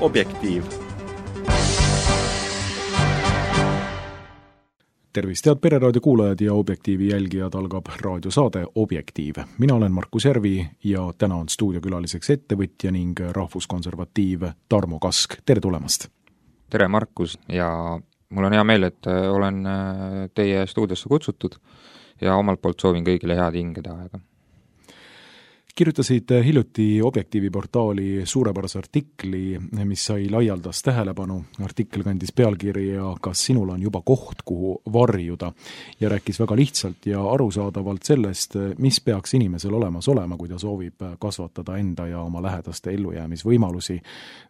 Objektiiv. Tervist, head Pereraadio kuulajad ja Objektiivi jälgijad, algab raadiosaade Objektiiv. Mina olen Markus Järvi ja täna on stuudiokülaliseks ettevõtja ning rahvuskonservatiiv Tarmo Kask. Tere tulemast! Tere Markus ja mul on hea meel, et olen teie stuudiosse kutsutud ja omalt poolt soovin kõigile head hingede aega. Kirjutasid hiljuti Objektiivi portaali suurepärase artikli, mis sai laialdast tähelepanu. Artikkel kandis pealkirja Kas sinul on juba koht, kuhu varjuda, ja rääkis väga lihtsalt ja arusaadavalt sellest, mis peaks inimesel olemas olema, kui ta soovib kasvatada enda ja oma lähedaste ellujäämisvõimalusi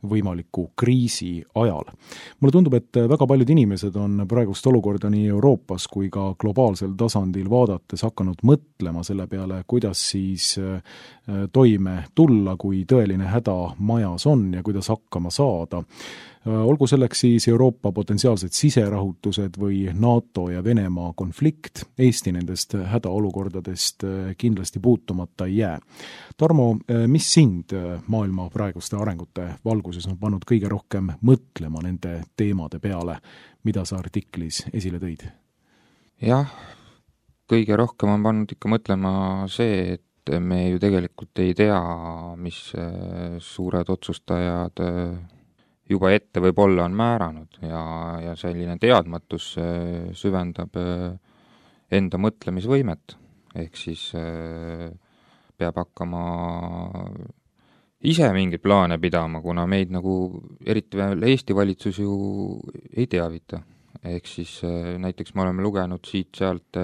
võimaliku kriisi ajal. Mulle tundub, et väga paljud inimesed on praegust olukorda nii Euroopas kui ka globaalsel tasandil vaadates hakanud mõtlema selle peale, kuidas siis toime tulla, kui tõeline häda majas on ja kuidas hakkama saada. Olgu selleks siis Euroopa potentsiaalsed siserahutused või NATO ja Venemaa konflikt, Eesti nendest hädaolukordadest kindlasti puutumata ei jää. Tarmo, mis sind maailma praeguste arengute valguses on pannud kõige rohkem mõtlema nende teemade peale, mida sa artiklis esile tõid? Jah, kõige rohkem on pannud ikka mõtlema see, et me ju tegelikult ei tea, mis suured otsustajad juba ette võib-olla on määranud ja selline teadmatus süvendab enda mõtlemisvõimet. Ehk siis peab hakkama ise mingeid plaane pidama, kuna meid nagu eriti veel Eesti valitsus ju ei teavita. Ehk siis näiteks me oleme lugenud siit-sealt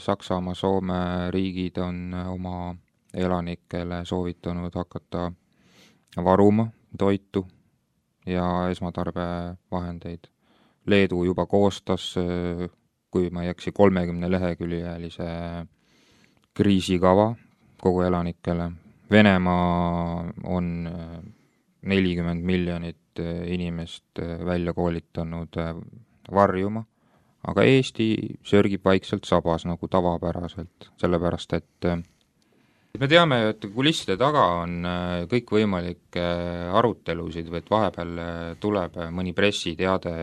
Saksamaa, Soome riigid on oma elanikele soovitanud hakata varuma toitu ja esmatarbevahendeid. Leedu juba koostas, kui ma ei eksi, 30 leheküljelise kriisikava kogu elanikele. Venemaa on 40 miljonit inimest välja koolitanud varjuma, aga Eesti sörgib vaikselt sabas nagu tavapäraselt, sellepärast et me teame, et kulisside taga on kõikvõimalikke arutelusid või et vahepeal tuleb mõni pressiteade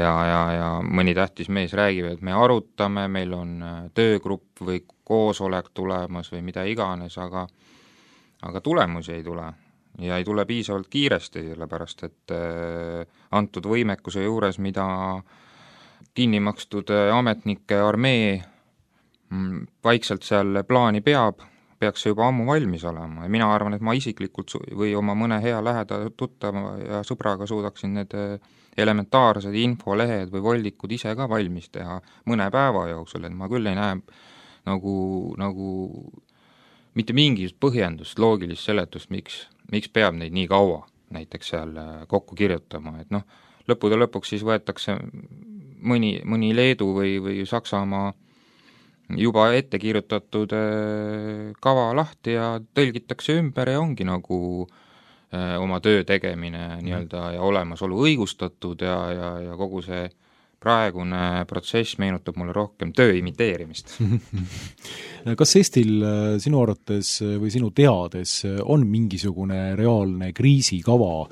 ja mõni tähtis mees räägib, et me arutame, meil on töögrupp või koosolek tulemas või mida iganes, aga tulemusi ei tule. Ja ei tule piisavalt kiiresti, sellepärast et antud võimekuse juures, mida kinni makstud ametnike armee vaikselt seal plaani peaks see juba ammu valmis olema. Ja mina arvan, et ma isiklikult või oma mõne hea läheda tuttava ja sõbraga suudaksin need elementaarsed infolehed või voldikud ise ka valmis teha mõne päeva jooksul, et ma küll ei näe nagu mitte mingit põhjendust, loogilist seletust, miks peab neid nii kaua näiteks seal kokku kirjutama, et lõppude lõpuks siis võetakse mõni Leedu või Saksamaa juba ette kirjutatud kava lahti ja tõlgitakse ümber ja ongi nagu oma töö tegemine nii-öelda ja olemasolu õigustatud ja kogu see praegune protsess meenutab mulle rohkem töö imiteerimist. Kas Eestil sinu arvates või sinu teades on mingisugune reaalne kriisikava,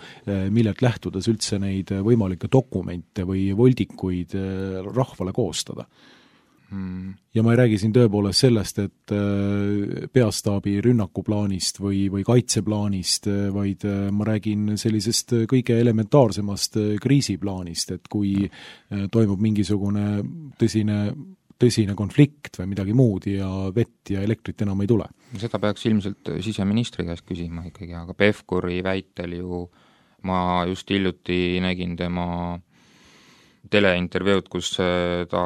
millelt lähtudes üldse neid võimalikke dokumente või voldikuid rahvale koostada? Ja ma ei räägi siin tõepoolest sellest, et peastaabi rünnakuplaanist või kaitseplaanist, vaid ma räägin sellisest kõige elementaarsemast kriisiplaanist, et kui toimub mingisugune tõsine konflikt või midagi muud ja vett ja elektrit enam ei tule. Seda peaks ilmselt siseministri käest küsima ikkagi, aga Pevkuri väitel ju ma just hiljuti nägin tema teleintervjuud, kus ta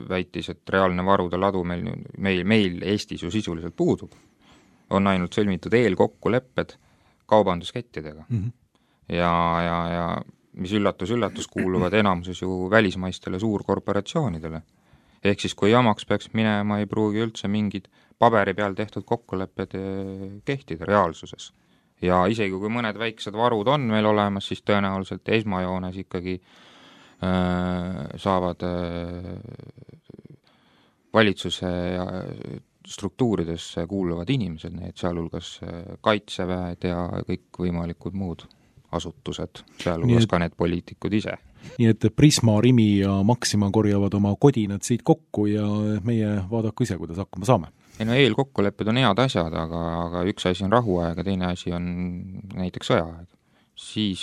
väitis, et reaalne varude ladu meil Eestis ju sisuliselt puudub. On ainult sõlmitud eelkokkulepped kaubanduskettidega. Ja mis üllatus kuuluvad enamuses ju välismaistele suurkorporatsioonidele. Ehk siis, kui jamaks peaks minema, ei pruugi üldse mingid paberi peal tehtud kokkulepped kehtida reaalsuses. Ja isegi kui mõned väiksed varud on meil olemas, siis tõenäoliselt esmajoones ikkagi saavad valitsuse struktuuridesse kuuluvad inimesed, need sealhulgas kaitseväed ja kõik võimalikud muud asutused, sealhulgas ka need poliitikud ise. Nii et Prisma, Rimi ja Maxima korjavad oma kodinad siit kokku ja meie vaadaku ise, kuidas hakkama saame. No eelkokkulepped on head asjad, aga üks asi on rahuaeg ja teine asi on näiteks sõjaaeg. Siis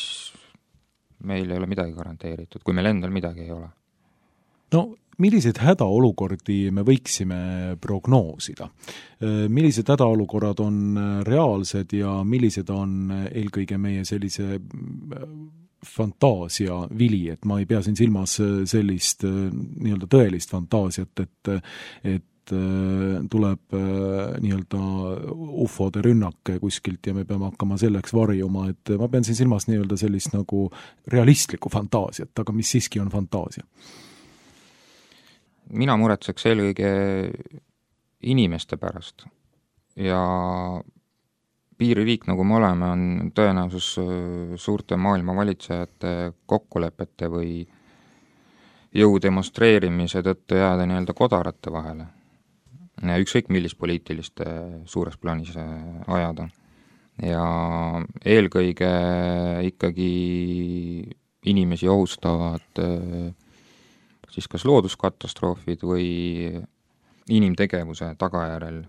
meil ei ole midagi garanteeritud, kui meil endal midagi ei ole. No milliseid hädaolukordi me võiksime prognoosida? Millised hädaolukorrad on reaalsed ja millised on eelkõige meie sellise fantaasia vili, et ma ei pea siin silmas sellist nii-öelda tõelist fantaasiat, et tuleb nii-öelda ufode rünnak kuskilt ja me peame hakkama selleks varjuma, et ma pean siin silmas nii-öelda sellist nagu realistlikku fantaasiat, aga mis siiski on fantaasia? Mina muretseks eelkõige inimeste pärast ja piiririik, nagu me oleme, on tõenäosus suurte maailma valitsejate kokkulepete või jõu demonstreerimise tõttu jääda nii-öelda kodarate vahele. Ükskõik millist poliitilist suures plaanis ajada. Ja eelkõige ikkagi inimesi ohustavad siis kas looduskatastroofid või inimtegevuse tagajärel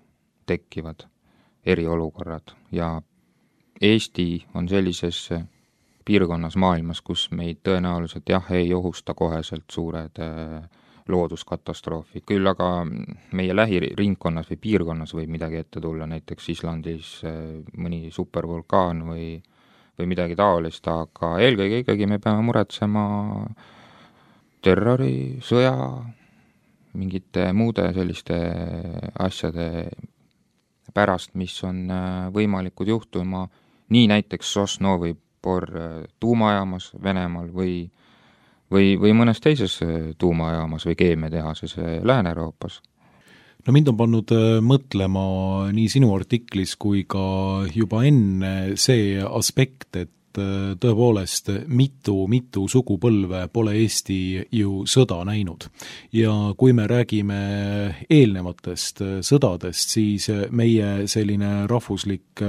tekkivad eriolukorrad ja Eesti on sellises piirkonnas maailmas, kus meid tõenäoliselt ei ohusta koheselt suured looduskatastroofid, küll aga meie lähiringkonnas või piirkonnas võib midagi ette tulla, näiteks Islandis mõni supervulkaan või midagi taolist, aga eelkõige ikkagi me peame muretsema terrori, sõja, mingite muude selliste asjade pärast, mis on võimalikud juhtuma nii näiteks Sosnovi Bor tuumajaamas Venemaal või mõnes teises tuumajaamas või keemiatehases Lääne-Euroopas. No mind on pannud mõtlema nii sinu artiklis kui ka juba enne see aspekt, et tõepoolest mitu sugupõlve pole Eesti ju sõda näinud. Ja kui me räägime eelnevatest sõdadest, siis meie selline rahvuslik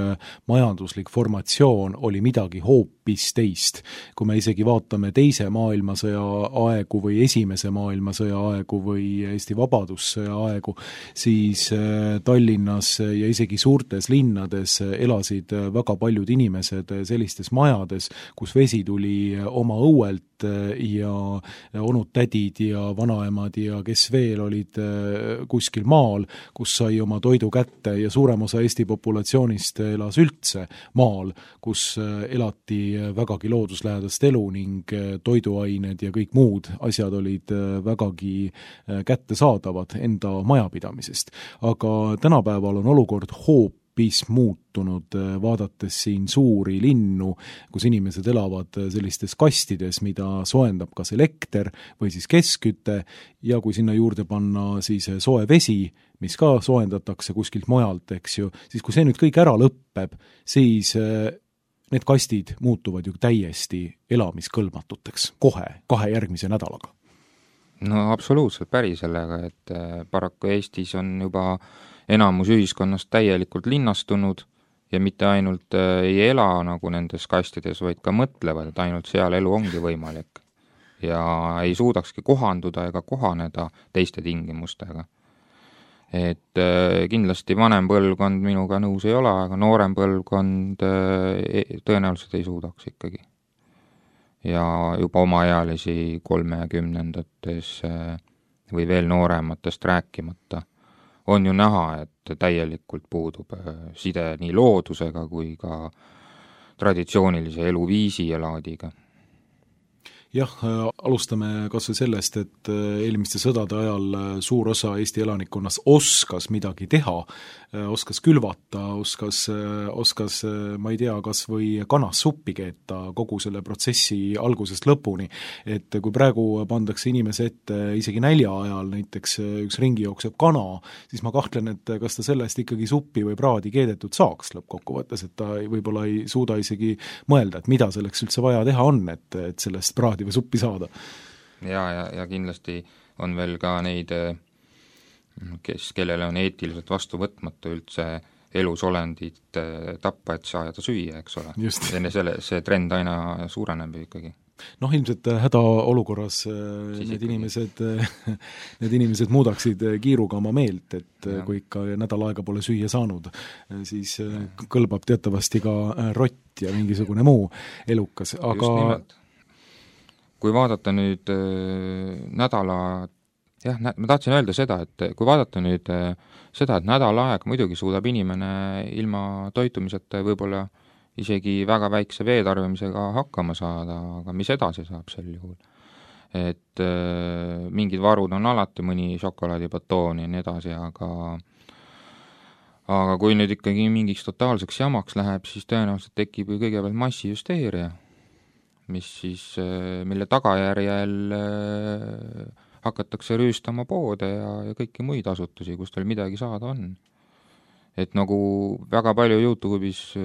majanduslik formatsioon oli midagi hoopis teist. Kui me isegi vaatame teise maailmasõja aegu või esimese maailmasõja aegu või Eesti vabadussõja aegu, siis Tallinnas ja isegi suurtes linnades elasid väga paljud inimesed sellistes majades, kus vesi tuli oma õuelt ja onud-tädid ja vanaemad ja kes veel olid kuskil maal, kus sai oma toidu kätte ja suurem osa Eesti populatsioonist elas üldse maal, kus elati vägagi looduslähedast elu ning toiduained ja kõik muud asjad olid vägagi kättesaadavad enda majapidamisest. Aga tänapäeval on olukord hoopis muutunud, vaadates siin suuri linnu, kus inimesed elavad sellistes kastides, mida soendab kas elekter või siis keskküte ja kui sinna juurde panna siis soe vesi, mis ka soendatakse kuskilt mujalt, eks ju, siis kui see nüüd kõik ära lõppeb, siis need kastid muutuvad ju täiesti elamiskõlbmatuteks kohe, 2 järgmise nädalaga. No absoluutselt päri sellega, et paraku Eestis on juba enamus ühiskonnast täielikult linnastunud ja mitte ainult ei ela nagu nendes kastides, vaid ka mõtlevad, et ainult seal elu ongi võimalik. Ja ei suudakski kohanduda ega kohaneda teiste tingimustega. Et kindlasti vanem põlvkond minuga nõus ei ole, aga noorem põlvkond tõenäoliselt ei suudaks ikkagi. Ja juba omaealisi 30-ndates või veel noorematest rääkimata on ju näha, et täielikult puudub side nii loodusega kui ka traditsioonilise eluviisi ja laadiga. Jah, alustame kas või sellest, et eelmiste sõdade ajal suur osa Eesti elanikkonnast oskas midagi teha, oskas külvata, oskas, ma ei tea, kas või kanassuppi keeta kogu selle protsessi algusest lõpuni. Et kui praegu pandakse inimese ette isegi nälja ajal näiteks üks ringi jookseb kana, siis ma kahtlen, et kas ta sellest ikkagi suppi või praadi keedetud saaks lõppkokkuvõttes, et ta võib-olla ei suuda isegi mõelda, et mida selleks üldse vaja teha on, et sellest praadi või suppi saada. Ja kindlasti on veel ka neid, kellele on eetiliselt vastu võtmata üldse elusolendit tappa, et saada süüa, eks ole. Enne see trend aina suureneb ikkagi. Noh, ilmselt hädaolukorras need inimesed muudaksid kiiruga oma meelt, et kui ikka nädal aega pole süüa saanud, siis kõlbab teatavasti ka rott ja mingisugune muu elukas. Aga kui vaadata nüüd ma tahtsin öelda seda, et kui vaadata nüüd seda, et nädal aega muidugi suudab inimene ilma toitumiseta võib-olla isegi väga väikse veetarbimisega hakkama saada, aga mis edasi saab sel juhul? Et mingid varud on alati, mõni šokolaadibatoon ja nii edasi, aga kui nüüd ikkagi mingiks totaalseks jamaks läheb, siis tõenäoliselt tekib ju kõigepealt massihüsteeria, mille tagajärjel hakatakse rüüstama poode ja kõiki muid asutusi, kus teil midagi saada on. Et nagu väga palju YouTube'is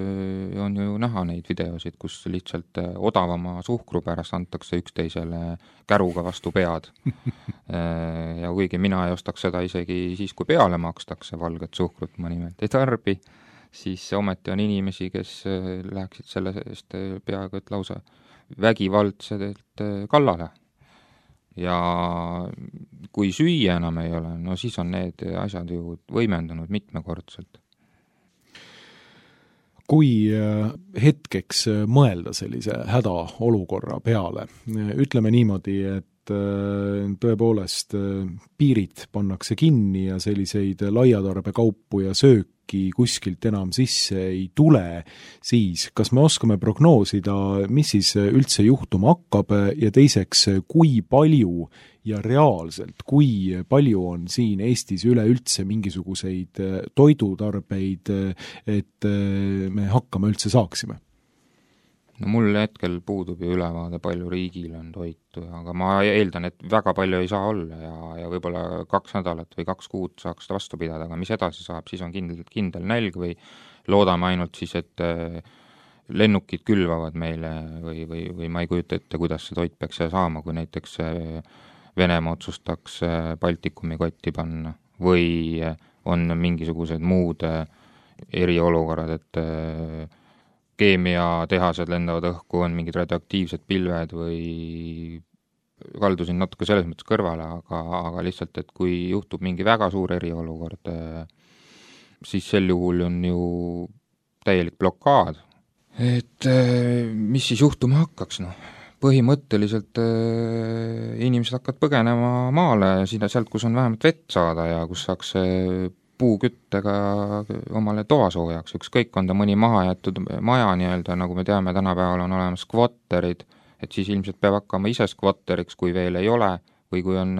on ju näha neid videosid, kus lihtsalt odavama suhkru pärast antakse üksteisele käruga vastu pead. Ja kuigi mina ei ostaks seda isegi siis, kui peale makstakse valget suhkrut, ma nimelt ei tarbi, siis ometi on inimesi, kes läheksid selle eest peaaegu et lausa vägivaldselt kallale. Ja kui süüa enam ei ole, no siis on need asjad ju võimendunud mitmekordselt. Kui hetkeks mõelda sellise hädaolukorra peale, ütleme niimoodi, et tõepoolest piirid pannakse kinni ja selliseid laiatarbekaupu ja sööki kuskilt enam sisse ei tule, siis kas me oskame prognoosida, mis siis üldse juhtuma hakkab ja teiseks, kui palju ja reaalselt, kui palju on siin Eestis üleüldse mingisuguseid toidutarbeid, et me hakkama üldse saaksime? No mul hetkel puudub ju ülevaade, palju riigil on toitu, aga ma eeldan, et väga palju ei saa olla ja võib-olla 2 nädalat või 2 kuud saaks seda vastu pidada, aga mis edasi saab, siis on kindel nälg või loodame ainult siis, et lennukid külvavad meile või ma ei kujuta ette, kuidas see toit peaks saama, kui näiteks Venemaa otsustaks Baltikumi kotti panna või on mingisugused muud eriolukorrad, et keemiatehased lendavad õhku, on mingid radioaktiivsed pilved või kaldusin natuke selles mõttes kõrvale, aga lihtsalt, et kui juhtub mingi väga suur eriolukord, siis sel juhul on ju täielik blokaad. Et mis siis juhtuma hakkaks, noh? Põhimõtteliselt inimesed hakkavad põgenema maale sealt, kus on vähemalt vett saada ja kus saaks puuküttega omale toasoojaks, ükskõik on ta mõni maha jäetud maja nii-öelda, nagu me teame, tänapäeval on olemas skvotterid, et siis ilmselt peab hakkama ise skvotteriks, kui veel ei ole, või kui on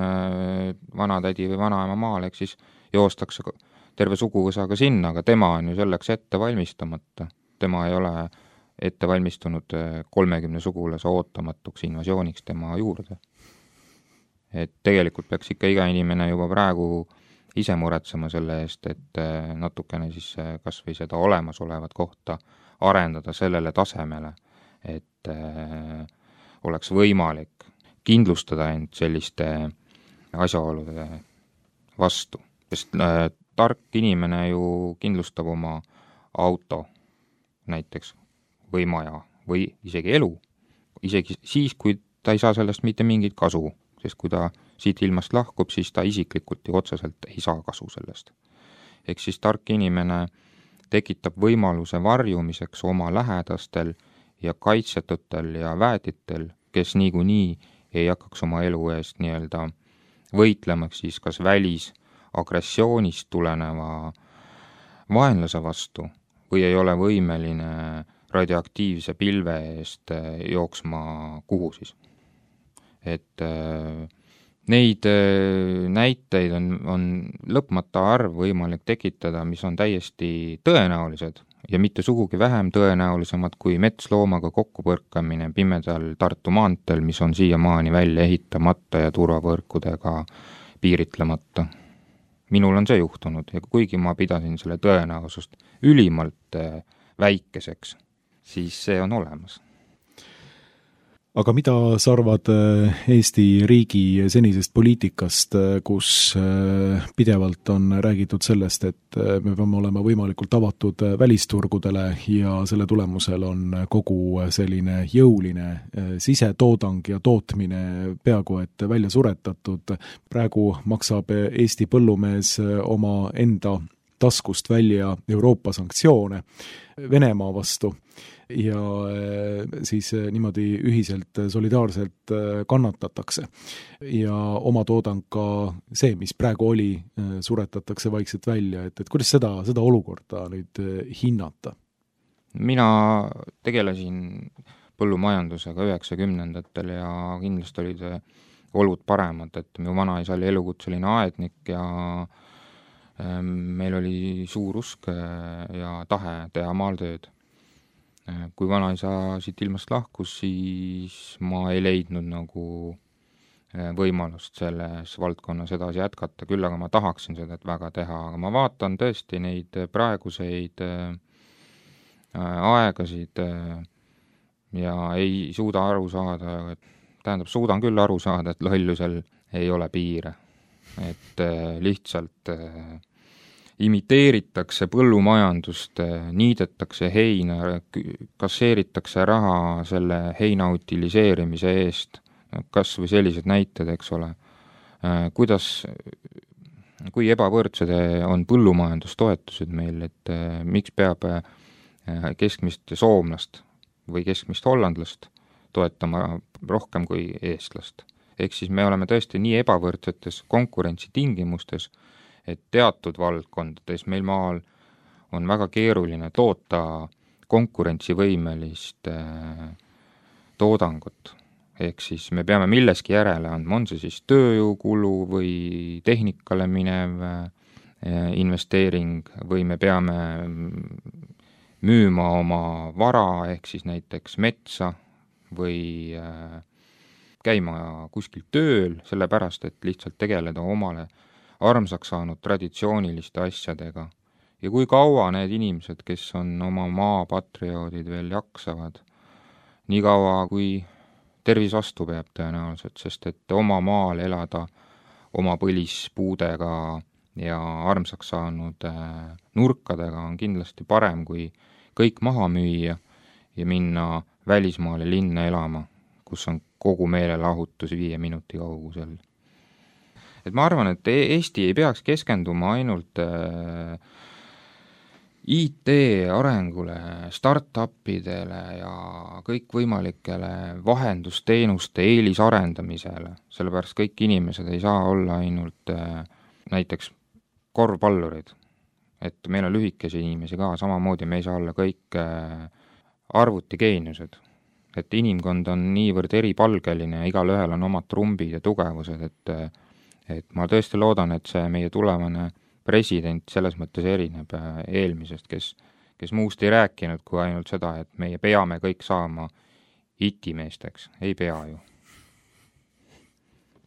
vanatädi või vanaema maal, eks siis joostakse terve suguvõsaga sinna, aga tema on ju selleks ette valmistamata. Tema ei ole ette valmistunud 30 sugulase ootamatuks invasiooniks tema juurde. Et tegelikult peaks ikka iga inimene juba praegu ise muretsema selle eest, et natukene siis kas või seda olemasolevat kohta arendada sellele tasemele, et oleks võimalik kindlustada end selliste asjaolude vastu. Sest tark inimene ju kindlustab oma auto näiteks või maja või isegi elu, isegi siis, kui ta ei saa sellest mitte mingit kasu, sest kui ta siit ilmast lahkub, siis ta isiklikult ju otseselt ei saa kasu sellest. Ehk siis tark inimene tekitab võimaluse varjumiseks oma lähedastel ja kaitsetutel ja väetitel, kes niikuinii ei hakkaks oma elu eest nii-öelda võitlemaks siis kas välisagressioonist tuleneva vaenlase vastu või ei ole võimeline radioaktiivse pilve eest jooksma kuhu siis. Et neid näiteid on lõpmata arv võimalik tekitada, mis on täiesti tõenäolised ja mitte sugugi vähem tõenäolisemad kui metsloomaga kokkupõrkamine pimedal Tartu maanteel, mis on siiamaani välja ehitamata ja turvavõrkudega piiritlemata. Minul on see juhtunud ja kuigi ma pidasin selle tõenäosust ülimalt väikeseks, siis see on olemas. Aga mida sa arvad Eesti riigi senisest poliitikast, kus pidevalt on räägitud sellest, et me peame olema võimalikult avatud välisturgudele ja selle tulemusel on kogu selline jõuline sisetoodang ja tootmine peaaegu et välja suretatud. Praegu maksab Eesti põllumees oma enda taskust välja Euroopa sanktsioone Venemaa vastu ja siis niimoodi ühiselt solidaarselt kannatatakse. Ja oma toodang ka see, mis praegu oli, suretatakse vaikselt välja, et kuidas seda olukorda nüüd hinnata? Mina tegelesin põllumajandusega 90ndatel ja kindlasti olid olud paremad, et minu vanaisa oli elukutseline aednik ja meil oli suur usk ja tahe teha maal tööd. Kui vanaisa siit ilmast lahkus, siis ma ei leidnud nagu võimalust selles valdkonnas edasi jätkata, küll aga ma tahaksin seda väga teha, aga ma vaatan tõesti neid praeguseid aegasid ja ei suuda aru saada, suudan küll aru saada, et lollusel ei ole piire, et lihtsalt imiteeritakse põllumajandust, niidetakse heina, kasseeritakse raha selle heina utiliseerimise eest, kas või sellised näited, eks ole. Kui ebavõrdsed on põllumajandustoetused meil, et miks peab keskmist soomlast või keskmist hollandlast toetama rohkem kui eestlast. Ehk siis me oleme tõesti nii ebavõrdsetes konkurentsitingimustes, et teatud valdkondades meil maal on väga keeruline toota konkurentsivõimelist toodangut. Ehk siis me peame milleski järele andma, on see siis tööjõukulu või tehnikale minev investeering või me peame müüma oma vara, ehk siis näiteks metsa või käima kuskil tööl, sellepärast et lihtsalt tegeleda omale armsaks saanud traditsiooniliste asjadega. Ja kui kaua need inimesed, kes on oma maapatrioodid veel jaksavad, nii kaua kui tervis vastu peab tõenäoliselt, sest et oma maal elada oma põlispuudega ja armsaks saanud nurkadega on kindlasti parem, kui kõik maha müüa ja minna välismaale linna elama, kus on kogu meelelahutus 5 minuti kaugusel. Et ma arvan, et Eesti ei peaks keskenduma ainult IT arengule, start-upidele ja kõikvõimalikele vahendusteenuste eelisarendamisele, sellepärast kõik inimesed ei saa olla ainult näiteks korvpallurid. Et meil on lühikesi inimesi ka, samamoodi me ei saa olla kõik arvutigeeniused. Et inimkond on niivõrd eripalgeline ja igal ühel on omad trumbid ja tugevused, et ma tõesti loodan, et see meie tulevane president selles mõttes erineb eelmisest, kes muust ei rääkinud kui ainult seda, et meie peame kõik saama itimeesteks. Ei pea ju.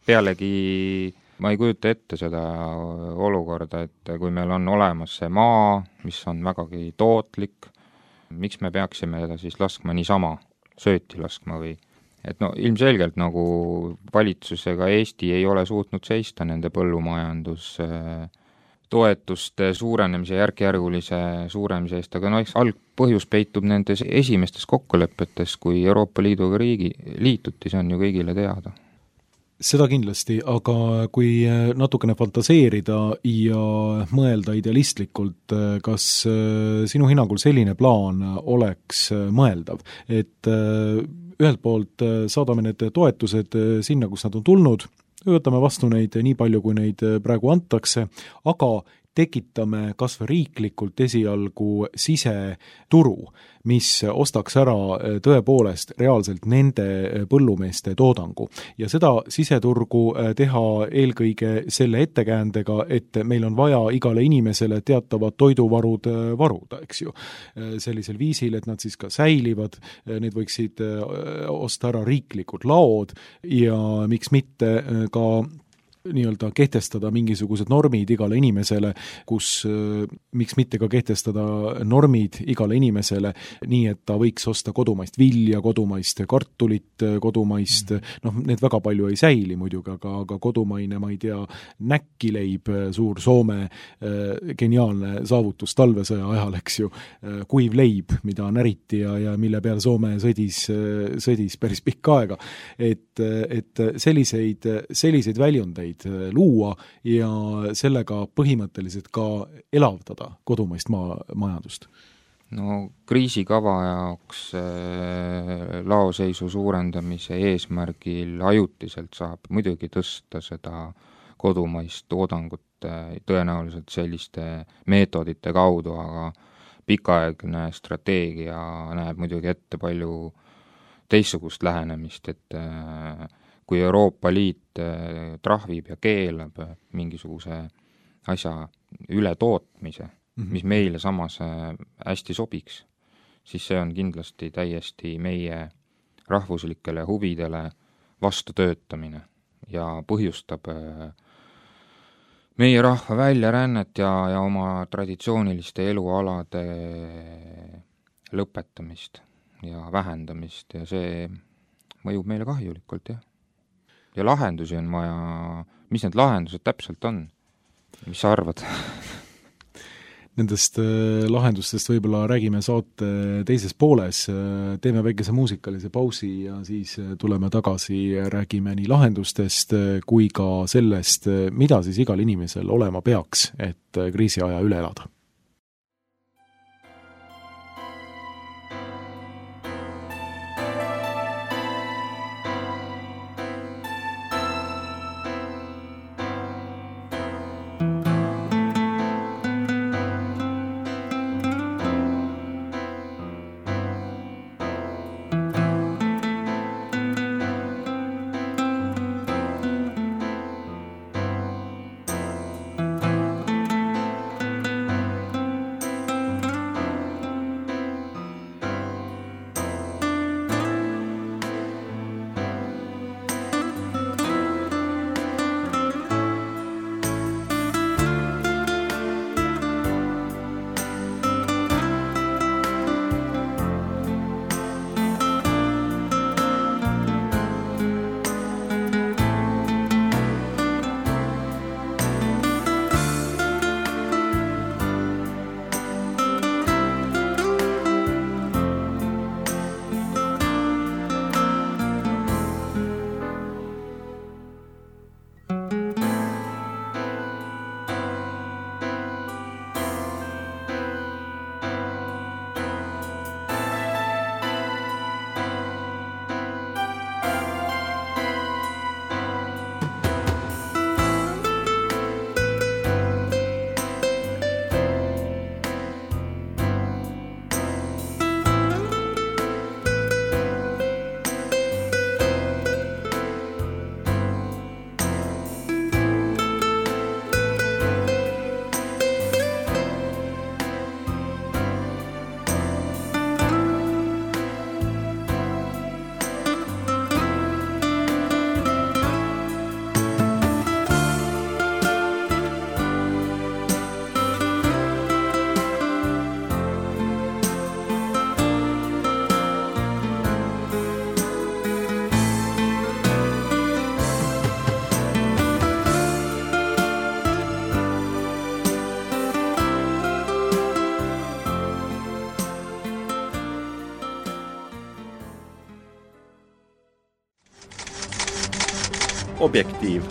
Pealegi ma ei kujuta ette seda olukorda, et kui meil on olemas see maa, mis on vägagi tootlik, miks me peaksime teda siis laskma niisama, sööti laskma või et no ilmselgelt nagu valitsusega Eesti ei ole suutnud seista nende põllumajandus toetuste suurenemise, järk-järgulise suurenemise eest, aga eks algpõhjus peitub nendes esimestes kokkulepetes, kui Euroopa Liiduga liituti, see on ju kõigile teada. Seda kindlasti, aga kui natukene fantaseerida ja mõelda idealistlikult, kas sinu hinnangul selline plaan oleks mõeldav, et ühelt poolt saadame need toetused sinna, kus nad on tulnud, võtame vastu neid nii palju, kui neid praegu antakse, aga tekitame kas või riiklikult esialgu siseturu, mis ostaks ära tõepoolest reaalselt nende põllumeeste toodangu. Ja seda siseturgu teha eelkõige selle ettekäändega, et meil on vaja igale inimesele teatavad toiduvarud varuda, eks ju. Sellisel viisil, et nad siis ka säilivad, need võiksid osta ära riiklikud laod ja miks mitte ka nii-öelda kehtestada mingisugused normid igale inimesele, kus miks mitte ka kehtestada normid igale inimesele, nii et ta võiks osta kodumaist vilja, kodumaist kartulit, kodumaist, need väga palju ei säili muidugi, aga kodumaine, ma ei tea, näkkileib, suur Soome geniaalne saavutus talvesõja ajal, eks ju, kuiv leib, mida näriti ja mille peal Soome sõdis päris pikka aega. Et selliseid väljundeid luua ja sellega põhimõtteliselt ka elavdada kodumaist majandust. No kriisikava jaoks laoseisu suurendamise eesmärgil ajutiselt saab muidugi tõsta seda kodumaist toodangut tõenäoliselt selliste meetodite kaudu, aga pikaaegne strateegia näeb muidugi ette palju teistsugust lähenemist, et kui Euroopa Liit trahvib ja keelab mingisuguse asja ületootmise, mis meile samas hästi sobiks, siis see on kindlasti täiesti meie rahvuslikele huvidele vastutöötamine ja põhjustab meie rahva väljarännet ja oma traditsiooniliste elualade lõpetamist ja vähendamist ja see mõjub meile kahjulikult, jah. Ja lahendusi on vaja, mis need lahendused täpselt on? Mis sa arvad? Nendest lahendustest võib-olla räägime saate teises pooles, teeme väikese muusikalise pausi ja siis tuleme tagasi, räägime nii lahendustest kui ka sellest, mida siis igal inimesel olema peaks, et kriisiaja üle elada. Objektiiv.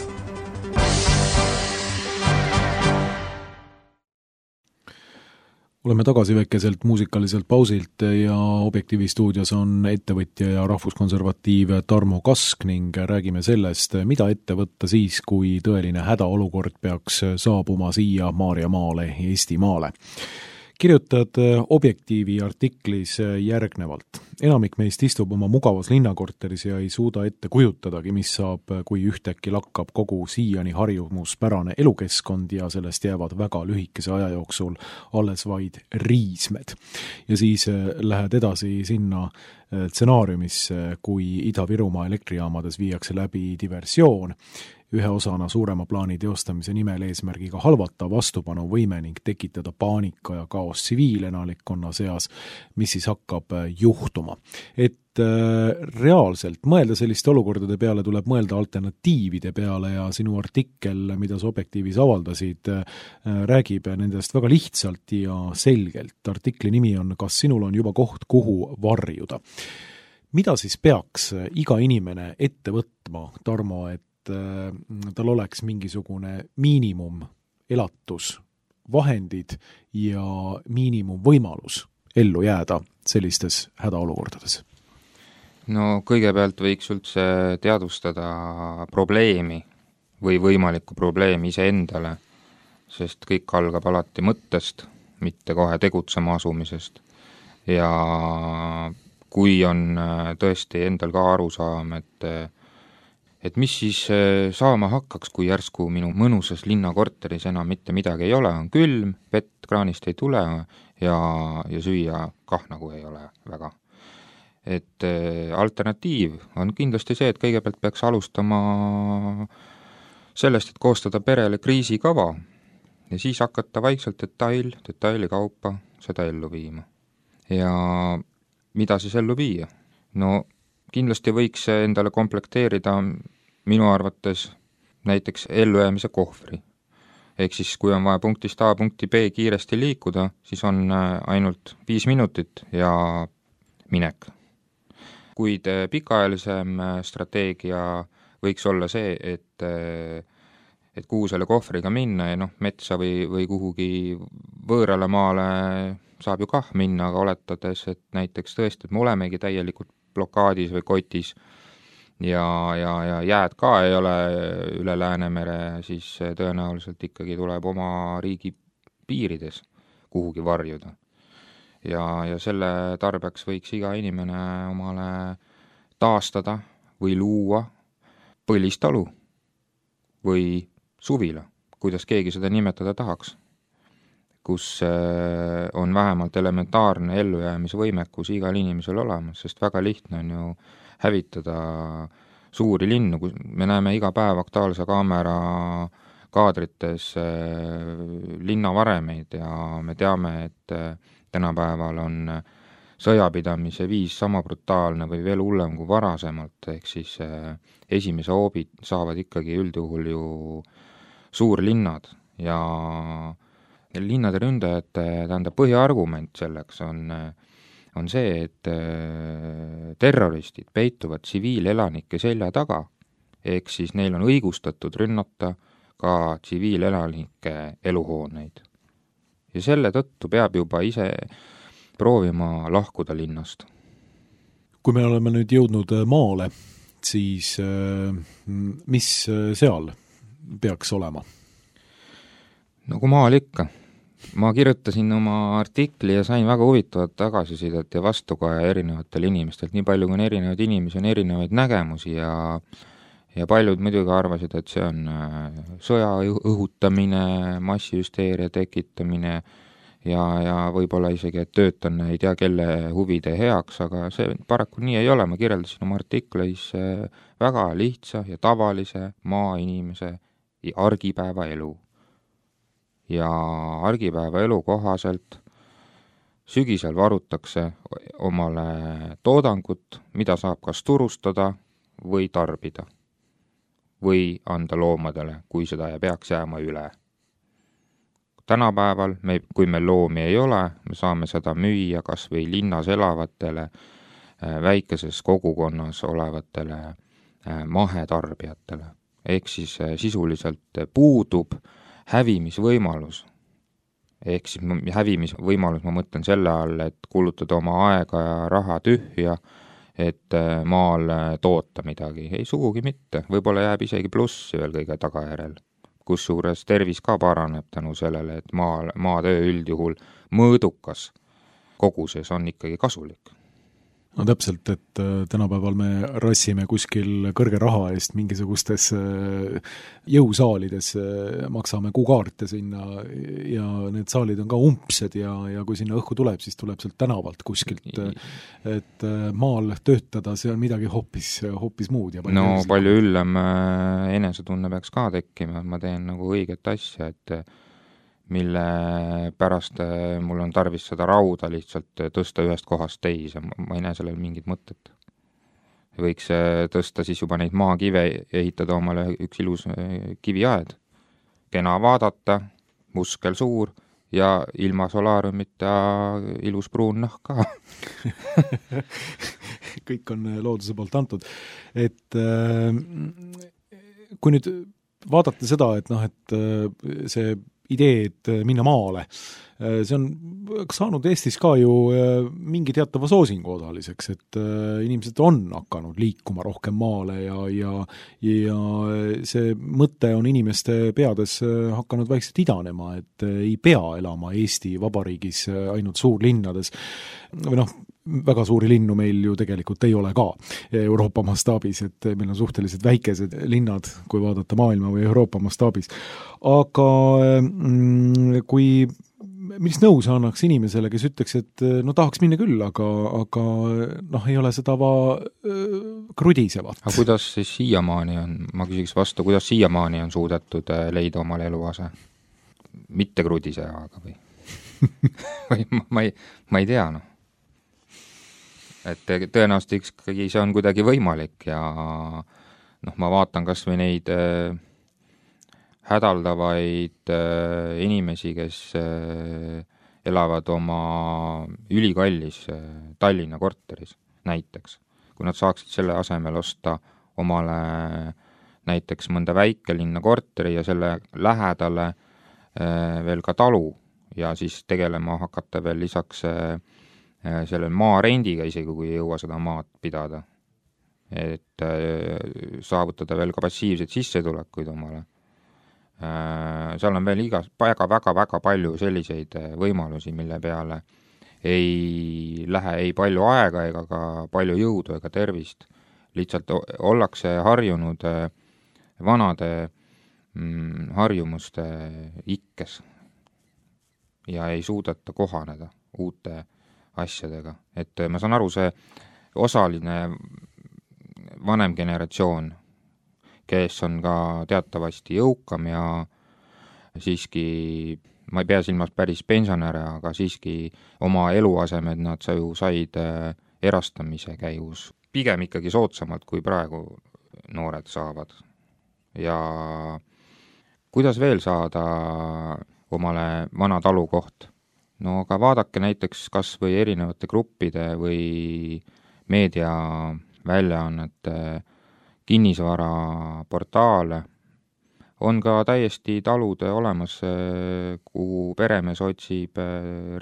Oleme tagasi väikeselt muusikaliselt pausilt ja Objektiivi stuudios on ettevõtja ja rahvuskonservatiiv Tarmo Kask ning räägime sellest, mida ette võtta siis, kui tõeline hädaolukord peaks saabuma siia Maarjamaale, Eestimaale. Kirjutad Objektiivi artiklis järgnevalt. enamik meist istub oma mugavas linnakorteris ja ei suuda ette kujutadagi, mis saab, kui ühtäkki lakkab kogu siiani harjumuspärane elukeskkond ja sellest jäävad väga lühikese aja jooksul alles vaid riismed. Ja siis lähed edasi sinna stsenaariumisse, kui Ida-Virumaa elektrijaamades viiakse läbi diversioon, ühe osana suurema plaani teostamise nimel eesmärgiga halvata vastupanuvõime ning tekitada paanika ja kaos tsiviilelanikkonna seas, mis siis hakkab juhtuma. Et reaalselt mõelda selliste olukordade peale tuleb mõelda alternatiivide peale ja sinu artikkel, mida sa Objektiivis avaldasid, räägib nendest väga lihtsalt ja selgelt. Artikli nimi on "Kas sinul on juba koht, kuhu varjuda?". Mida siis peaks iga inimene ette võtma, Tarmo, et tal oleks mingisugune miinimum elatus, vahendid ja miinimum võimalus ellu jääda sellistes hädaolukordades? No kõigepealt võiks üldse teadvustada probleemi või võimalikku probleemi iseendale, sest kõik algab alati mõttest, mitte kohe tegutsema asumisest. Ja kui on tõesti endal ka arusaam, et mis siis saama hakkaks, kui järsku minu mõnusas linnakorteris enam mitte midagi ei ole, on külm, vett kraanist ei tule ja süüa kah nagu ei ole väga. Et alternatiiv on kindlasti see, et kõigepealt peaks alustama sellest, et koostada perele kriisikava ja siis hakata vaikselt detaili kaupa seda ellu viima. Ja mida siis ellu viia? No kindlasti võiks endale komplekteerida minu arvates näiteks ellujäämise kohvri. Ehk siis, kui on vaja punktist A punkti B kiiresti liikuda, siis on ainult 5 minutit ja minek. Kuid pikaajalisem strateegia võiks olla see, et kuhu selle kohvriga minna ja metsa või kuhugi võõrale maale saab ju kah minna, aga oletades, et näiteks tõesti, et me olemegi täielikult blokaadis või kotis ja jääd ka ei ole üle Läänemere, siis tõenäoliselt ikkagi tuleb oma riigi piirides kuhugi varjuda. Ja selle tarbeks võiks iga inimene omale taastada või luua põlistalu või suvila, kuidas keegi seda nimetada tahaks, kus on vähemalt elementaarne ellujäämise võimekus igal inimesel olemas, sest väga lihtne on ju hävitada suuri linnu, kus me näeme iga päev Aktuaalse Kaamera kaadrites linnavaremeid ja me teame, et tänapäeval on sõjapidamise viis sama brutaalne või veel hullem kui varasemalt, ehk siis esimese hoobi saavad ikkagi üldjuhul ju suurlinnad ja linnade ründajate põhiargument selleks on see, et terroristid peituvad tsiviilelanike selja taga, ehk siis neil on õigustatud rünnata ka tsiviilelanike eluhooneid. Ja selle tõttu peab juba ise proovima lahkuda linnast. Kui me oleme nüüd jõudnud maale, siis mis seal peaks olema? No kui maal ikka. Ma kirjutasin oma artikli ja sain väga huvitavat tagasisidet ja vastukaja erinevatel inimestelt. Nii palju kui on erinevaid inimesi, on erinevaid nägemusi ja paljud muidugi arvasid, et see on sõja õhutamine, massihüsteeria tekitamine ja võib-olla isegi, et töötan ei tea kelle huvide heaks, aga see paraku nii ei ole. Ma kirjeldasin oma artiklis väga lihtsa ja tavalise maainimese argipäeva elu. Ja argipäeva elu kohaselt sügisel varutakse omale toodangut, mida saab kas turustada või tarbida või anda loomadele, kui seda peaks jääma üle. Tänapäeval, kui meil loomi ei ole, me saame seda müüa kas või linnas elavatele, väikeses kogukonnas olevatele mahetarbijatele. Ehk siis sisuliselt puudub hävimisvõimalus. Ehk siis hävimisvõimalus, ma mõtlen selle all, et kulutada oma aega ja raha tühja, et maal toota midagi. Ei sugugi mitte. Võib-olla jääb isegi plussi veel kõige tagajärel. Kusjuures tervis ka paraneb tänu sellele, et maatöö üldjuhul mõõdukas koguses on ikkagi kasulik. No täpselt, et tänapäeval me rassime kuskil kõrge raha eest mingisugustes jõusaalides, maksame kuukaarte sinna ja need saalid on ka umbsed ja kui sinna õhku tuleb, siis tuleb sealt tänavalt kuskilt, et maal töötada, see on midagi hoopis muud. Ja palju üllem enesetunne peaks ka tekkima, ma teen nagu õiget asja, et mille pärast mul on tarvis seda rauda lihtsalt tõsta ühest kohast teise, ma ei näe sellel mingit mõtet. Võiks tõsta siis juba neid maakive, ehitada omale üks ilus kiviaed, kena vaadata, muskel suur ja ilma solaariumita ilus pruun nahk ka. Kõik on looduse poolt antud. Et kui nüüd vaadata seda, et see idee, et minna maale, see on saanud Eestis ka ju mingi teatava soosingu osaliseks, et inimesed on hakanud liikuma rohkem maale ja see mõte on inimeste peades hakanud vaikselt idanema, et ei pea elama Eesti Vabariigis ainult suurlinnades või väga suuri linnu meil ju tegelikult ei ole ka Euroopa mastaabis, et meil on suhteliselt väikesed linnad, kui vaadata maailma või Euroopa mastaabis. Aga millist nõu sa annaks inimesele, kes ütleks, et tahaks minna küll, aga ei ole seda krudisevat? Aga kuidas siis siiamaani on, ma küsiks vastu, kuidas siiamaani on suudetud leida omale eluase? Mitte krudisevaga või? või ma ei tea, Et tõenäoliselt ikkagi see on kuidagi võimalik ja ma vaatan kas või neid hädaldavaid inimesi, kes elavad oma ülikallis Tallinna korteris näiteks. Kui nad saaksid selle asemel osta omale näiteks mõnda väikelinna korteri ja selle lähedale veel ka talu ja siis tegelema hakata veel lisaks sellel maa rendiga, isegi kui ei jõua seda maad pidada. Et saavutada veel ka passiivseid sissetulekuid omale. Seal on veel väga palju selliseid võimalusi, mille peale ei lähe ei palju aega ega ka palju jõudu ega tervist. Lihtsalt ollakse harjunud vanade harjumuste ikkes ja ei suudeta kohaneda uute asjadega. Et ma saan aru, see osaline vanem generatsioon, kes on ka teatavasti jõukam ja siiski, ma ei pea silmas päris pensionäre, aga siiski oma eluasemed nad said erastamise käigus pigem ikkagi soodsamalt, kui praegu noored saavad. Ja kuidas veel saada omale vana talukoht? Aga vaadake näiteks kas või erinevate gruppide või meediaväljaannete kinnisvaraportaale. On ka täiesti talud olemas, kuhu peremees otsib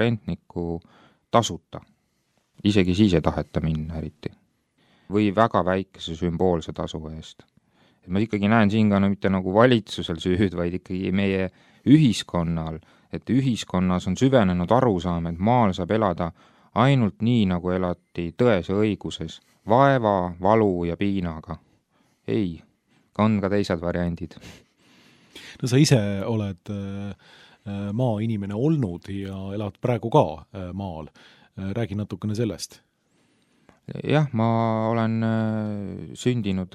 rentniku tasuta. Isegi siis ei taheta minna eriti. Või väga väikese sümboolse tasu eest. Et ma ikkagi näen siin ka mitte nagu valitsusel süüd, vaid ikkagi meie ühiskonnal, et ühiskonnas on süvenenud arusaam, et maal saab elada ainult nii, nagu elati tões ja õiguses, vaeva, valu ja piinaga. Ei, on ka teised variandid. No sa ise oled maainimene olnud ja elad praegu ka maal. Räägi natukene sellest. Jah, ma olen sündinud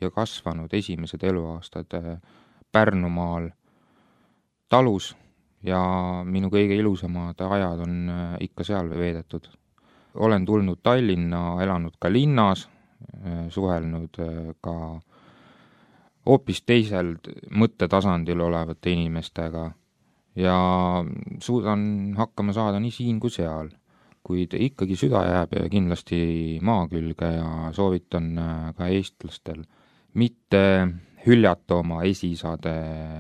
ja kasvanud esimesed eluaastad Pärnumaal talus ja minu kõige ilusamad ajad on ikka seal veedetud. Olen tulnud Tallinna, elanud ka linnas, suhelnud ka hoopis teisel mõttetasandil olevate inimestega ja suudan hakkama saada nii siin kui seal, kuid ikkagi süda jääb kindlasti maa külge ja soovitan ka eestlastel mitte hüljata oma esisade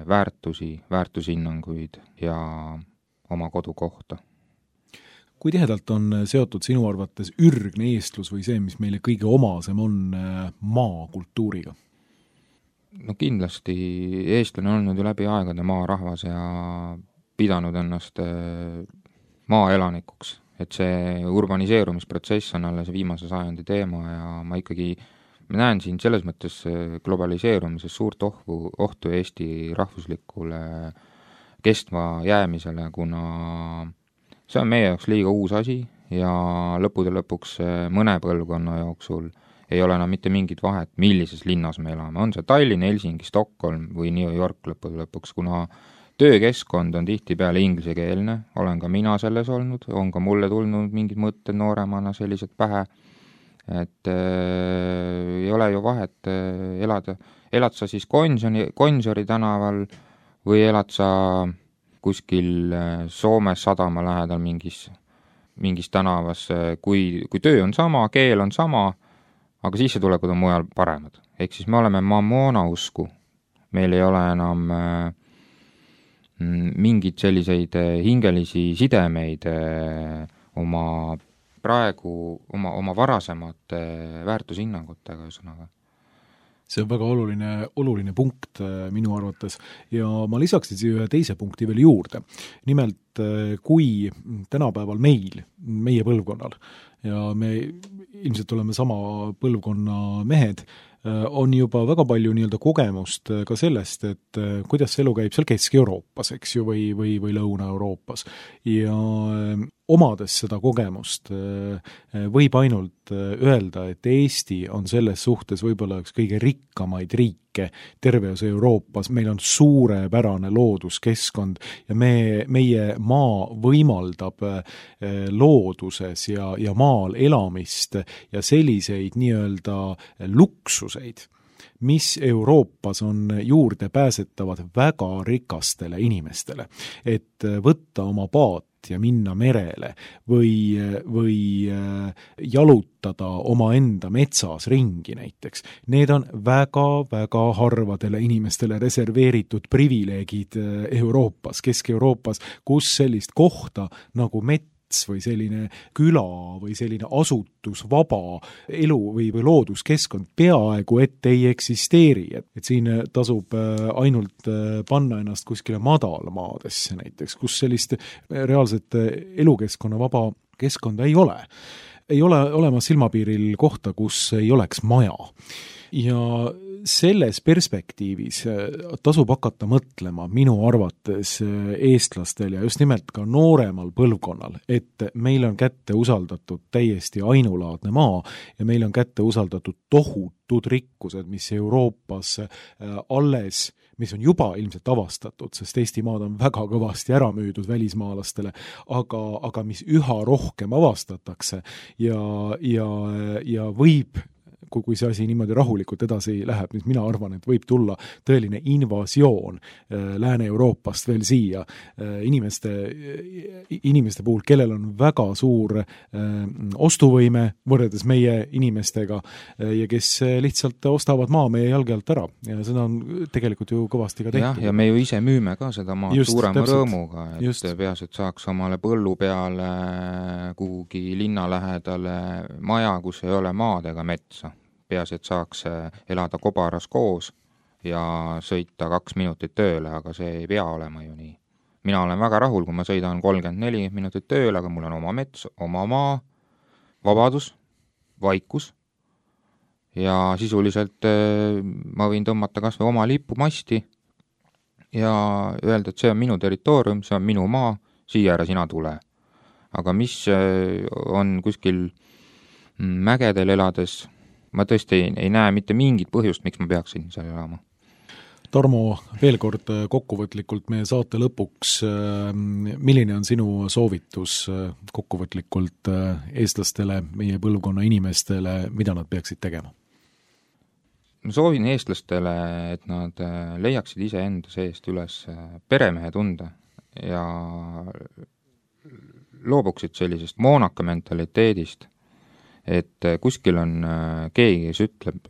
väärtushinnanguid ja oma kodukohta. Kui tihedalt on seotud sinu arvates ürgne eestlus või see, mis meile kõige omasem on maakultuuriga? No kindlasti eestlane on olnud ju läbi aegade maarahvas ja pidanud ennast maaelanikuks et see urbaniseerumisprotsess on alles viimase sajandi teema ja ma näen siin selles mõttes globaliseerumises suurt ohtu Eesti rahvuslikule kestva jäämisele, kuna see on meie jaoks liiga uus asi ja lõppude lõpuks mõne põlvkonna jooksul ei ole enam mitte mingit vahet, millises linnas me elame. On see Tallinn, Helsingi, Stockholm või New York lõppude lõpuks, kuna töökeskkond on tihtipeale inglisekeelne, olen ka mina selles olnud, on ka mulle tulnud mingid mõtted nooremana sellised pähe, et ei ole ju vahet elad sa siis Gonsiori tänaval või elad sa kuskil Soomes sadama lähedal mingis tänavas, kui töö on sama, keel on sama, aga sissetulekud on mujal paremad. Ehk siis me oleme mammona usku, meil ei ole enam mingid selliseid hingelisi sidemeid oma varasemate väärtushinnangutega ühesõnaga. See on väga oluline punkt minu arvates ja ma lisaksin siia ühe teise punkti veel juurde. Nimelt, kui tänapäeval meie põlvkonnal ja me ilmselt oleme sama põlvkonna mehed, on juba väga palju nii-öelda kogemust ka sellest, et kuidas see elu käib seal Kesk-Euroopas, eks ju, või Lõuna-Euroopas. Ja omades seda kogemust võib ainult öelda, et Eesti on selles suhtes võib-olla üks kõige rikkamaid riike terves Euroopas. Meil on suurepärane looduskeskkond ja meie maa võimaldab looduses ja maal elamist ja selliseid nii-öelda luksuseid, mis Euroopas on juurdepääsetavad väga rikastele inimestele, et võtta oma paat ja minna merele või jalutada omaenda metsas ringi näiteks. Need on väga-väga harvadele inimestele reserveeritud privileegid Euroopas, Kesk-Euroopas, kus sellist kohta nagu mets või selline küla või selline asutusvaba elu või looduskeskkond peaaegu et ei eksisteeri. Et siin tasub ainult panna ennast kuskile madalmaadesse näiteks, kus sellist reaalset elukeskkonna vaba keskkonda ei ole. Ei ole olemas silmapiiril kohta, kus ei oleks maja. Ja selles perspektiivis tasub hakata mõtlema minu arvates eestlastel ja just nimelt ka nooremal põlvkonnal, et meil on kätte usaldatud täiesti ainulaadne maa ja meil on kätte usaldatud tohutud rikkused, mis Euroopas mis on juba ilmselt avastatud, sest Eesti maad on väga kõvasti ära müüdud välismaalastele, aga mis üha rohkem avastatakse ja võib kui see asi niimoodi rahulikult edasi läheb, siis mina arvan, et võib tulla tõeline invasioon Lääne-Euroopast veel siia inimeste puhul, kellel on väga suur ostuvõime võrreldes meie inimestega ja kes lihtsalt ostavad maa meie jalge alt ära ja seda on tegelikult ju kõvasti ka tehtud. Ja me ju ise müüme ka seda maad suurema rõõmuga, et peas, et saaks omale põllu peale kuhugi linna lähedale maja, kus ei ole maad ega metsa. Peas, et saaks elada kobaras koos ja sõita 2 minutit tööle, aga see ei pea olema ju nii. Mina olen väga rahul, kui ma sõidan 34 minutit tööle, aga mul on oma mets, oma maa, vabadus, vaikus ja sisuliselt ma võin tõmmata kas või oma lipumasti ja öelda, et see on minu territoorium, see on minu maa, siia ära sina tule. Aga mis on kuskil mägedel elades, ma tõesti ei näe mitte mingit põhjust, miks ma peaksin seal elama. Tarmo, veel kord kokkuvõtlikult meie saate lõpuks, milline on sinu soovitus kokkuvõtlikult eestlastele, meie põlvkonna inimestele, mida nad peaksid tegema? Ma soovin eestlastele, et nad leiaksid iseenda seest üles peremehe tunde ja loobuksid sellisest moonaka mentaliteedist, et kuskil on keegi, kes ütleb,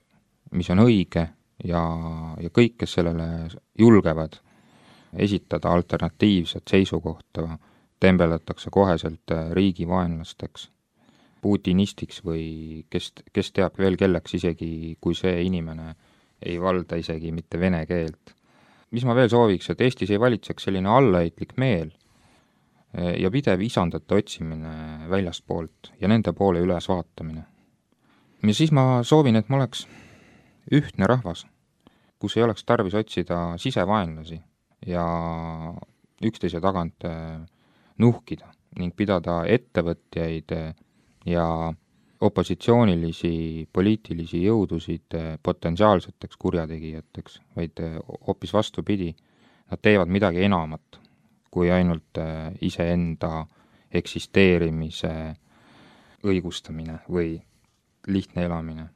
mis on õige ja kõik, kes sellele julgevad esitada alternatiivset seisukohta, tembeldatakse koheselt riigivaenlasteks, putinistiks või kes teab veel kelleks, isegi kui see inimene ei valda isegi mitte vene keelt. Mis ma veel sooviks, et Eestis ei valitseks selline allaheitlik meel, ja pidev isandate otsimine väljastpoolt ja nende poole üles vaatamine. Ja siis ma soovin, et ma oleks ühtne rahvas, kus ei oleks tarvis otsida sisevaenlasi ja üksteise tagant nuhkida ning pidada ettevõtjaid ja opositsioonilisi poliitilisi jõudusid potentsiaalseteks kurjategijateks, vaid hoopis vastupidi, nad teevad midagi enamat kui ainult iseenda eksisteerimise õigustamine või lihtne elamine.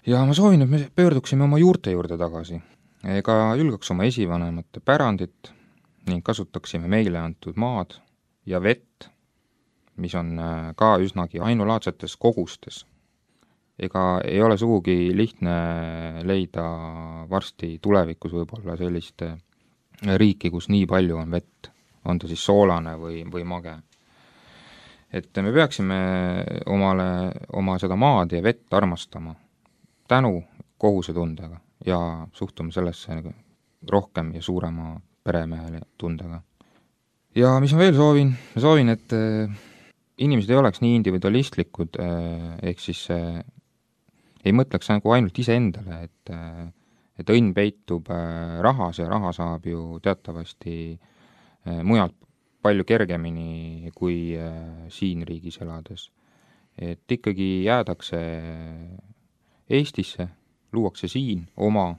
Ja ma soovin, et me pöörduksime oma juurte juurde tagasi, ega julgeks oma esivanemate pärandit ning kasutaksime meile antud maad ja vett, mis on ka üsnagi ainulaadsetes kogustes. Ega ei ole sugugi lihtne leida varsti tulevikus võib-olla sellist riiki, kus nii palju on vett, on ta siis soolane või mage. Et me peaksime oma seda maad ja vett armastama tänu kohusetundega ja suhtuma sellesse rohkem ja suurema peremehele tundega. Ja mis ma veel soovin? Ma soovin, et inimesed ei oleks nii individualistlikud, ehk siis ei mõtleks nagu ainult iseendale, et õnn peitub rahas ja raha saab ju teatavasti mujalt palju kergemini kui siin riigis elades. Et ikkagi jäädakse Eestisse, luuakse siin oma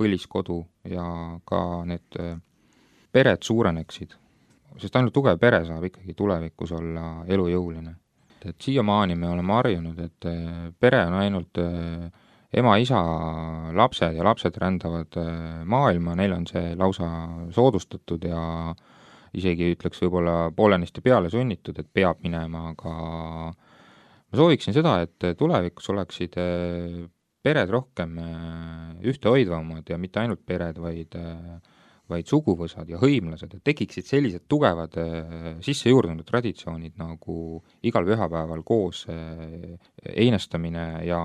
põliskodu ja ka need pered suureneksid, sest ainult tugev pere saab ikkagi tulevikus olla elujõuline. Et siiamaani me oleme harjunud, et pere on ainult ema, isa, lapsed ja lapsed rändavad maailma, neil on see lausa soodustatud ja isegi ütleks võib-olla poolenisti peale sunnitud, et peab minema, aga ma sooviksin seda, et tulevikus oleksid pered rohkem ühtehoidvamad ja mitte ainult pered, vaid suguvõsad ja hõimlased, et tekiksid sellised tugevad sissejuurdunud traditsioonid nagu igal pühapäeval koos einestamine ja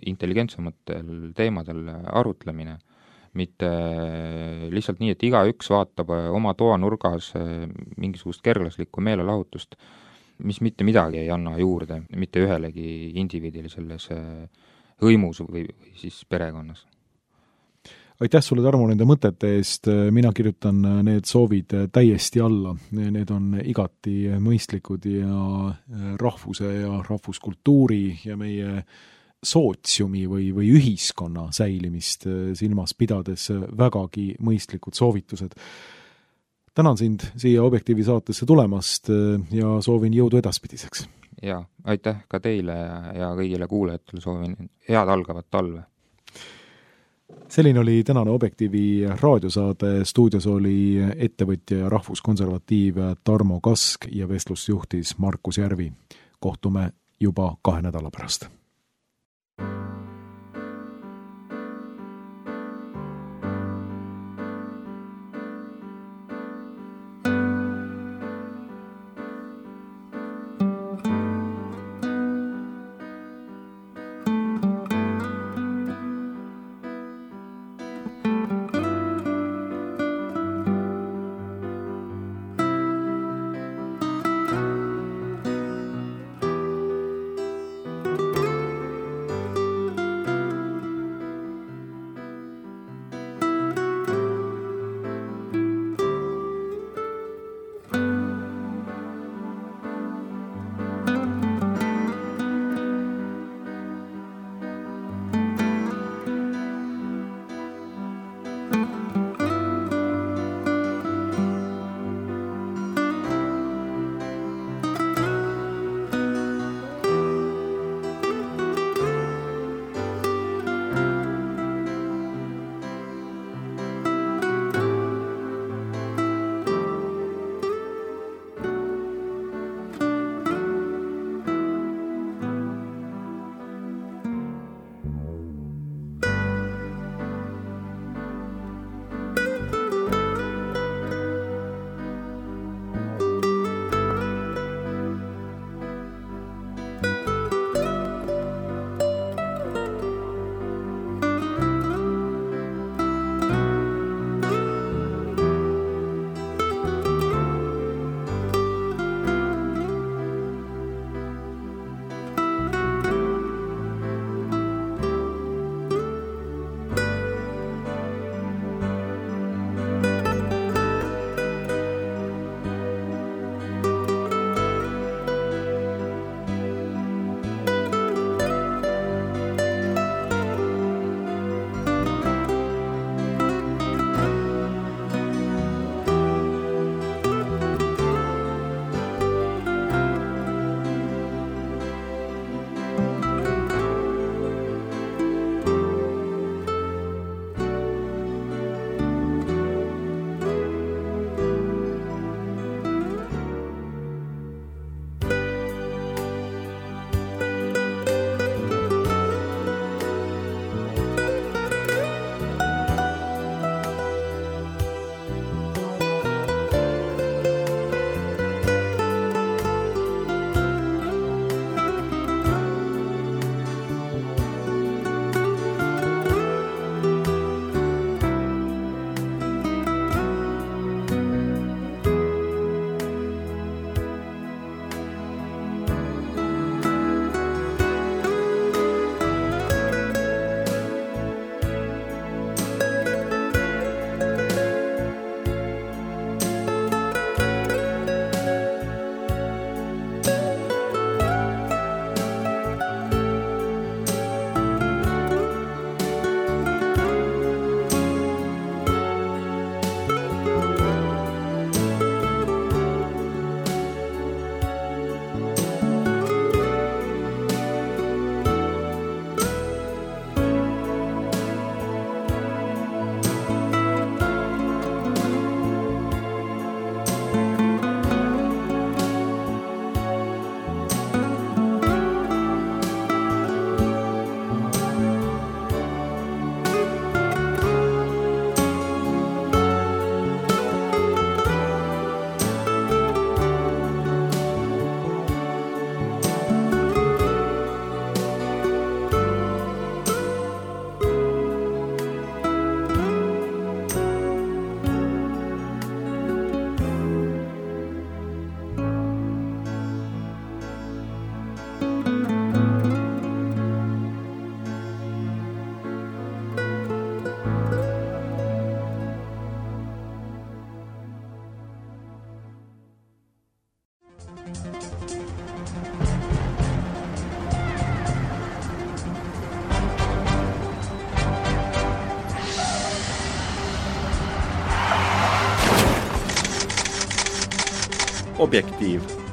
intelligentsematel teemadel arutlemine, mitte lihtsalt nii, et igaüks vaatab oma toanurgas mingisugust kerglaslikku meelelahutust, mis mitte midagi ei anna juurde mitte ühelegi indiviidile selles hõimus või siis perekonnas. Aitäh sulle, Tarmo, nende mõtete eest, mina kirjutan need soovid täiesti alla, need on igati mõistlikud ja rahvuse ja rahvuskultuuri ja meie sootsiumi või ühiskonna säilimist silmas pidades vägagi mõistlikud soovitused. Tänan sind siia Objektiivi saatesse tulemast ja soovin jõudu edaspidiseks. Ja aitäh ka teile ja kõigile kuulajatele soovin head algavat talve. Selline oli tänane Objektiivi raadiosaade, stuudios oli ettevõtja ja rahvuskonservatiiv Tarmo Kask ja vestlust juhtis Markus Järvi. Kohtume juba 2 nädala pärast. Objektiiv